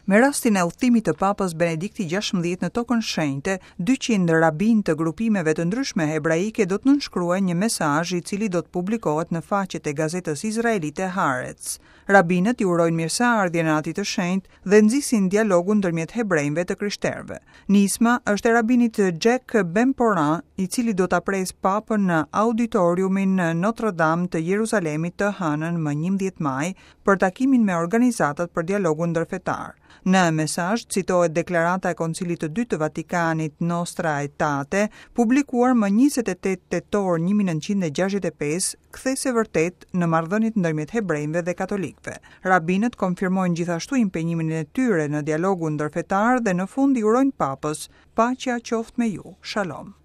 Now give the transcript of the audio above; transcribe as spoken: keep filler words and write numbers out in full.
Me rastin e udhëtimit të Papës Benedikti gjashtëmbëdhjetë në Tokën Shenjte, dyqind rabinë të grupimeve të ndryshme hebraike do të nënshkruajnë një mesazh i cili do të publikohet në faqet e gazetës izraelite Haaretz. Rabinët i urojnë mirëseardhjen e Atit të Shenjtë dhe nxisin dialogun ndërmjet hebrejve të krishterëve. Nisma është e rabinit Jack Bemporan, i cili do ta presë Papën në auditoriumin Notre Dame të Jeruzalemit të hënën më njëmbëdhjetë maj për takimin me organizatat për dialogun ndërfetar. Në mesazh citohet deklarata e Koncilit të Dytë të Vatikanit Nostra Aetate, publikuar më njëzet e tetë tetor një mijë e nëntëqind e gjashtëdhjetë e pesë, kthesë vërtet në marrëdhëniet ndërmjet hebrejve dhe katolikëve. Rabinët konfirmojnë gjithashtu impenjimin e tyre në dialogun ndërfetar dhe në fund i urojnë Papës, paqja qoftë me ju. Shalom.